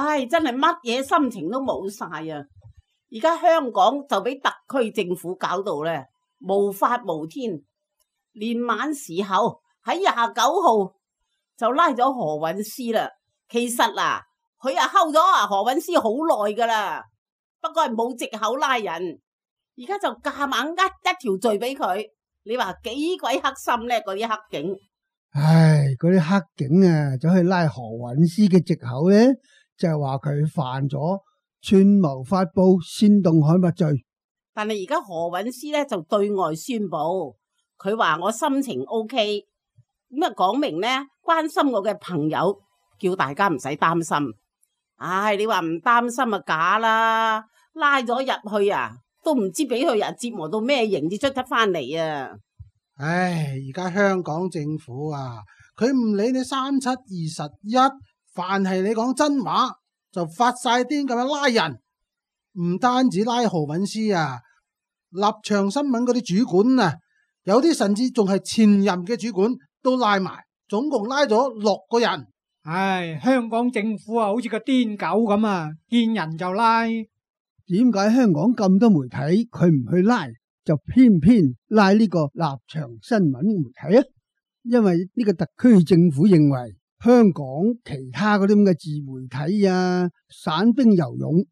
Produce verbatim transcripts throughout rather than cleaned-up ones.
唉，真係乜嘢心情都冇晒啊！而家香港就俾特區政府搞到咧無法無天，連晚時候喺廿九號就拉咗何韻詩啦。其實嗱，佢啊睺咗啊何韻詩好耐噶啦，不過係冇藉口拉人，而家就夾硬呃一條罪俾佢。你話幾鬼黑心咧？嗰啲黑警，唉，嗰啲黑警啊，走去拉何韻詩嘅藉口咧，就係話佢犯咗串謀發布煽動刊物罪。但係而家何韻詩咧就對外宣布，佢話我心情 O K， 咁啊講明咧關心我嘅朋友，叫大家唔使擔心。唉，你話唔擔心啊假啦，拉咗入去啊，都唔知俾佢啊折磨到咩刑至出得翻嚟啊！唉，而家香港政府啊，佢唔理你三七二十一，凡係你講真話就發晒癲咁樣拉人，唔單止拉何韻詩啊，立場新聞嗰啲主管啊，有啲甚至仲係前任嘅主管都拉埋，總共拉咗六個人。唉，香港政府啊，好似個癲狗咁啊，見人就拉。點解香港咁多媒體佢唔去拉，就偏偏拉呢個立場新聞媒體啊？因為呢個特區政府認為香港其他嗰啲咁嘅自媒體啊，散兵游勇，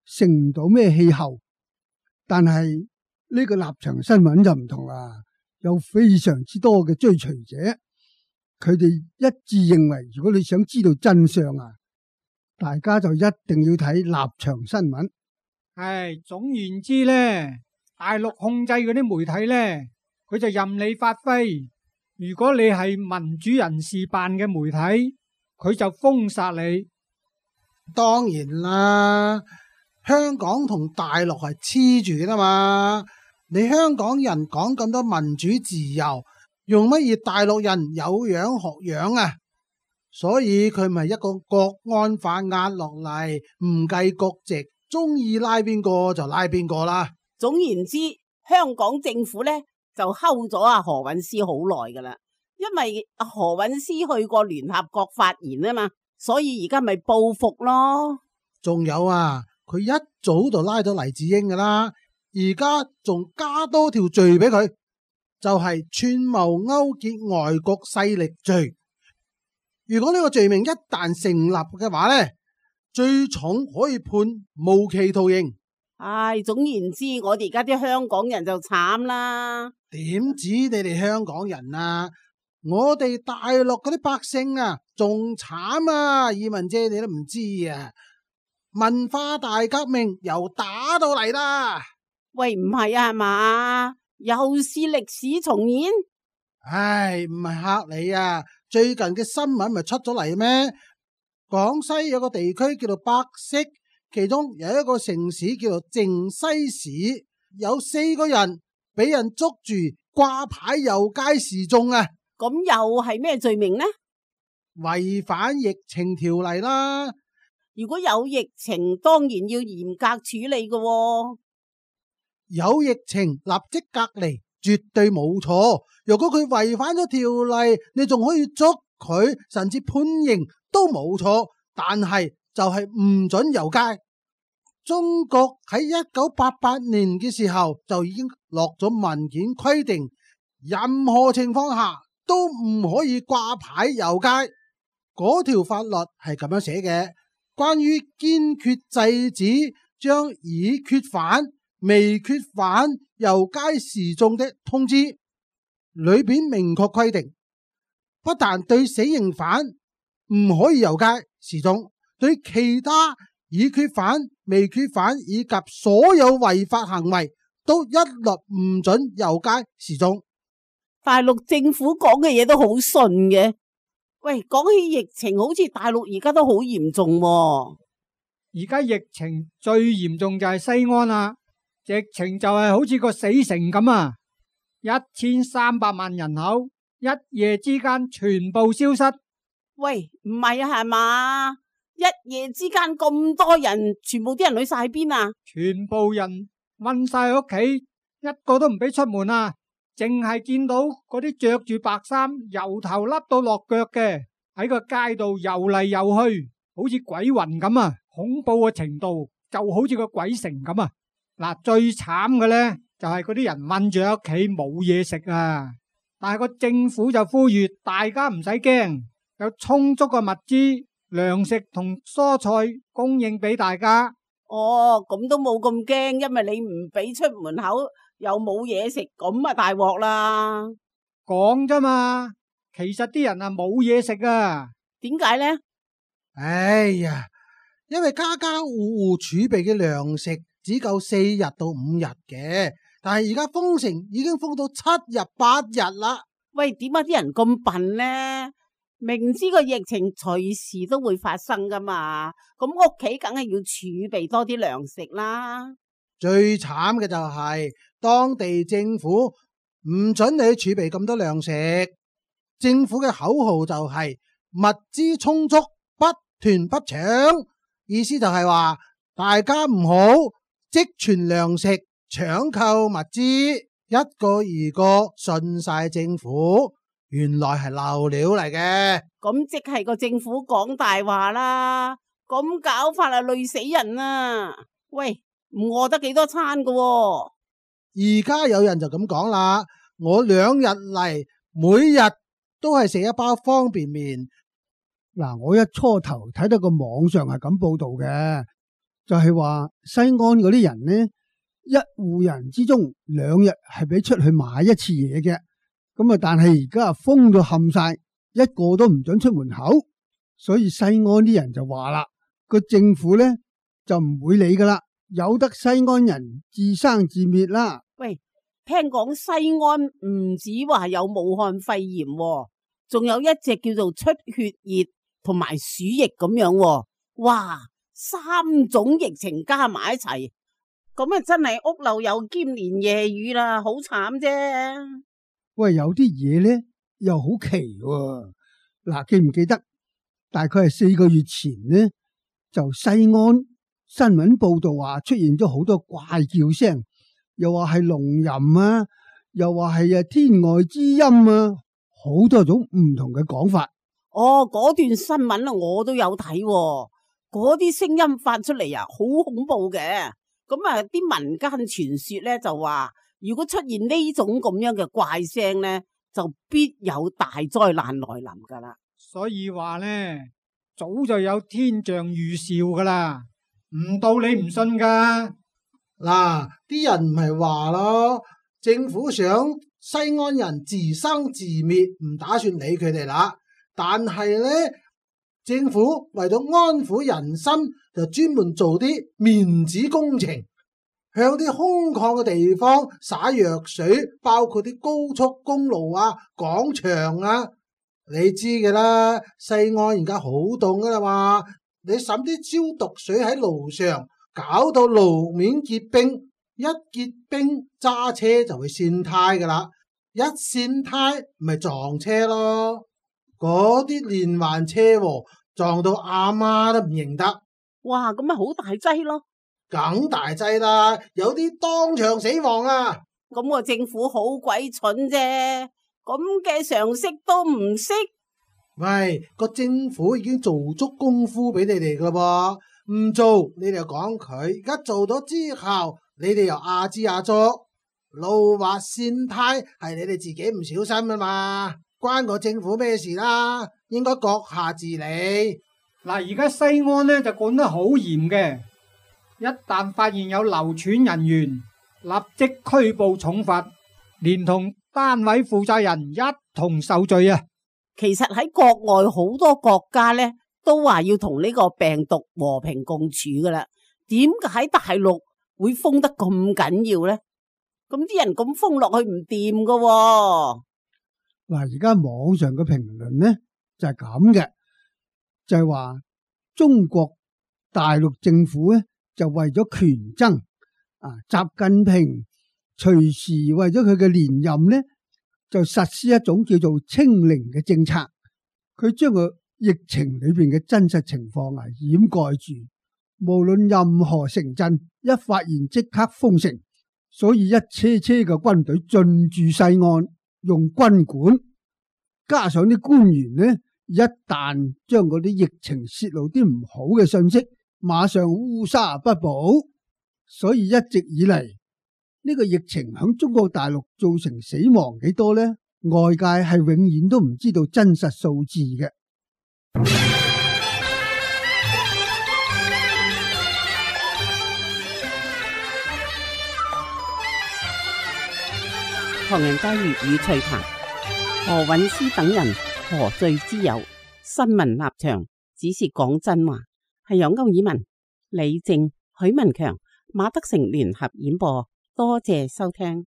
成唔到咩氣候。但係呢個立場新聞就唔同啦，有非常之多嘅追隨者，佢哋一致認為，如果你想知道真相啊，大家就一定要睇立場新聞。唉，總言之咧，大陸控制嗰啲媒體咧，佢就任你發揮。如果你係民主人士辦嘅媒體，佢就封殺你。當然啦，香港同大陸係黐住噶嘛，你香港人講咁多民主自由，用乜嘢大陸人有樣學樣啊？所以佢咪一個國安法壓落嚟，唔計國籍，中意拉邊個就拉邊個啦。總言之，香港政府咧就睺咗阿何韻詩好耐噶啦，因為阿何韻詩去過聯合國發言啊嘛，所以而家咪報復咯。仲有啊，佢一早就拉咗黎智英噶啦，而家仲加多條罪俾佢，就係串謀勾結外國勢力罪。如果呢個罪名一旦成立嘅話咧，最重可以判無期徒刑。唉，總言之，我哋而家啲香港人就慘啦。點止你哋香港人啊，我哋大陸嗰啲百姓啊，仲慘啊！以文姐你都唔知啊，文化大革命又打到嚟啦。喂，唔係啊，係嘛？又是歷史重演？唉，唔係嚇你啊！最近嘅新聞咪出咗嚟咩？廣西有個地區叫做百色，其中有一個城市叫做靖西市，有四個人俾人捉住掛牌遊街示眾啊！咁又係咩罪名呢？違反疫情條例啦！如果有疫情，當然要嚴格處理㗎喎。有疫情立即隔離，絕對冇錯。如果佢違反咗條例，你仲可以捉佢，甚至判刑都冇錯。但係就係唔准遊街。中國喺一九八八年嘅時候就已經落咗文件規定，任何情況下都唔可以掛牌遊街。嗰條法律係咁樣寫嘅，關於堅決制止將已決犯、未決犯遊街示眾的通知，裏邊明確規定，不但對死刑犯唔可以遊街示眾，對其他已決犯、未決犯以及所有違法行為都一律唔准遊街示眾。大陸政府講嘅嘢都好順嘅。喂，講起疫情，好似大陸而家都好嚴重喎。而家疫情最嚴重就係西安啦，疫情就係好似個死城咁啊！一千三百萬人口，一夜之間全部消失。喂，唔係啊，係嘛？一夜之間咁多人，全部啲人去晒邊啊？全部人韞晒屋企，一個都唔俾出門啊！淨係見到嗰啲着住白衫，由頭笠到落腳嘅，喺個街度游嚟游去，好似鬼魂咁啊！恐怖嘅程度就好似個鬼城咁啊！嗱，最慘嘅呢，就係嗰啲人困住喺屋企冇嘢食啊！但係個政府就呼籲大家唔使驚，有充足嘅物資、糧食同蔬菜供應俾大家。哦，咁都冇咁驚，因為你唔俾出門口又冇嘢食，咁啊大鑊啦！講啫嘛，其實啲人啊冇嘢食啊。點解呢？哎呀，因為家家戶戶儲備嘅糧食只夠四日到五日嘅，但係而家封城已經封到七日八日啦。喂，點解啲人咁笨呢？明知個疫情隨時都會發生噶嘛，咁屋企梗係要儲備多啲糧食啦。最慘嘅就係當地政府唔准你儲備咁多糧食，政府嘅口號就係物資充足，不囤不搶，意思就係話大家唔好積存糧食，搶購物資，一個二個信晒政府。原來係漏料嚟嘅，咁即係個政府講大話啦，咁搞法啊累死人啊！喂，唔餓得幾多餐噶喎？而家有人就咁講啦，我兩日嚟，每日都係食一包方便麵。嗱，我一初頭睇到個網上係咁報道嘅，就係話西安嗰啲人呢，一戶人之中兩日係俾出去買一次嘢嘅。咁啊！但係而家封到冚晒，一個都唔准出門口，所以西安啲人就話啦，個政府咧就唔會理噶啦，由得西安人自生自滅啦。喂，聽講西安唔止話有武漢肺炎，仲有一隻叫做出血熱同埋鼠疫咁樣，哇！三種疫情加埋一齊，咁啊真係屋漏有兼連夜雨啦，好慘啫。喂，有啲嘢咧又好奇喎。嗱，記唔記得大概係四個月前呢，就西安新聞報道話出現咗好多怪叫聲，又話係龍吟啊，又話係啊天外之音啊，好多種唔同嘅講法。哦，嗰段新聞啊，我都有睇喎，嗰啲聲音發出嚟啊，好恐怖嘅。咁啊，啲民間傳說咧就話，如果出現呢種咁樣嘅怪聲呢，就必有大災難來臨噶啦。所以話呢，早就有天象預兆噶啦，唔到你唔信噶。嗱，啲人唔係話咯，政府想西安人自生自滅，唔打算理佢哋啦。但係呢，政府為咗安撫人心，就專門做啲面子工程。向啲空曠嘅地方灑藥水，包括啲高速公路啊、廣場啊，你知嘅啦。西安而家好凍噶啦嘛，你灑啲消毒水喺路上，搞到路面結冰，一結冰揸車就會跣胎噶啦，一跣胎咪撞車咯。嗰啲連環車禍撞到阿媽都唔認得。哇，咁咪好大劑咯。梗大劑啦，有啲當場死亡啊！咁個政府好鬼蠢啫，咁嘅常識都唔識。喂，個政府已經做足功夫俾你哋噶啦噃，唔做你哋又講佢，而家做咗之後，你哋又阿支阿左，路滑跣胎係你哋自己唔小心啊嘛，關個政府咩事啦？應該閣下治理。嗱，而家西安呢就管得好嚴嘅。一旦發現有流傳人員，立即拘捕重罰，連同單位負責人一同受罪啊！其實喺國外好多國家呢，都話要同呢個病毒和平共處噶啦。點解喺大陸會封得咁緊要呢？咁啲人咁封落去唔掂噶。嗱，而家網上嘅評論呢就係咁嘅，就係話中國大陸政府呢。就為咗權爭啊，習近平隨時為咗佢嘅連任呢，就實施一種叫做清零嘅政策。佢將個疫情裏邊嘅真實情況啊掩蓋住，無論任何城鎮一發現即刻封城，所以一車車嘅軍隊進駐西安，用軍管，加上啲官員呢，一旦將嗰啲疫情泄露啲唔好嘅信息，馬上烏紗不保，所以一直以嚟呢個疫情響中國大陸造成死亡幾多呢？外界係永遠都唔知道真實數字嘅。唐人街粵語趣談，何韻詩等人何罪之有？新聞立場只是講真話，係由歐爾文、李正、許文強、馬德成聯合演播，多謝收聽。